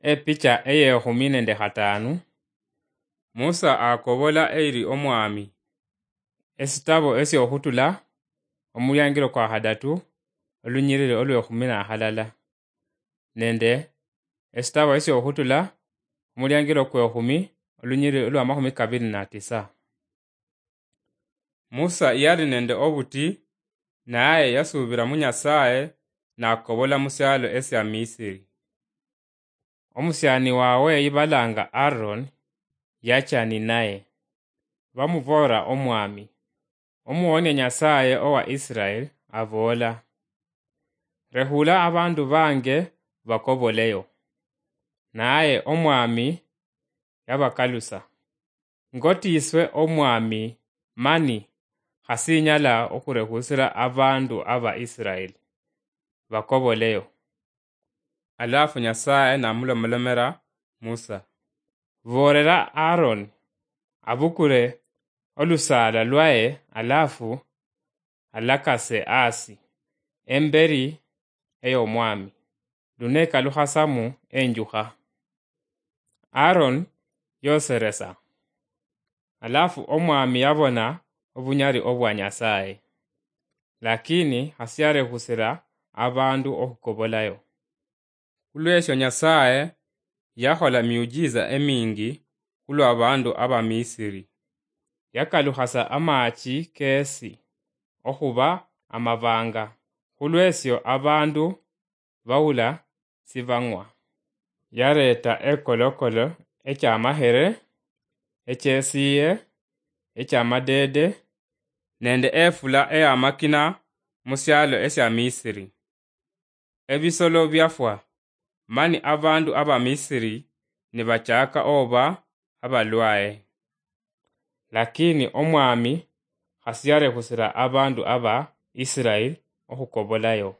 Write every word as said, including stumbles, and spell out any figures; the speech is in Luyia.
Epicha eyekhumi nende khatanu. Musa akobola eyiri Omwami. Esitabo esiokhutula, omuliangiro kwa khadatu, olunyiriri olwekhumi na halala, nende esitabo esiokhutula, omuliangiro kwekhumi, olunyiriri olwa makhumi kabiri na tisa. Musa yali nende obuti, naye yasuubira mu Nyasaye, nakobola mu syalo esya Misiri. Omusyani wawe yibalanga Aaron, yacha ninaye. Bamuboora Omwami, Omuwonia Nyasaye owa Israel, aboola, Rehula abandu bange bakoboleyo. Naye Omwami yabakalusa, Ngotiiswe Omwami, mani khasinyala okhurehusira abandu aba Israel bakoboleyo. Alafu Nyasaye namulomolomera Musa, Boolera Aaron abukule olusaala lwaye, alafu alakase asi emberi ey'Omwami, lunekalukhasamu enjukha. Aaron yoseresa, alafu Omwami yabona obunyali obwa Nyasaye, lakini khasiarehusira abandu okhukobolayo. Khulwesyo Nyasaye yakhola miujiza emingi khulwa abandu aba Misiri. Yakalukhasa amachi kesi okhuba amabanga, khulwesyo abandu bawula sibang'wa. Yareta ekolokolo ekyamahere, ekyesiye, ekyamadede, nende efula eyamakina mu syalo esya Misiri. Ebisolo byafwa, mani abandu aba Misiri nibachaaka oba abalwaye. Lakini Omwami khasiyarehusira abandu aba Israel okhukobolayo.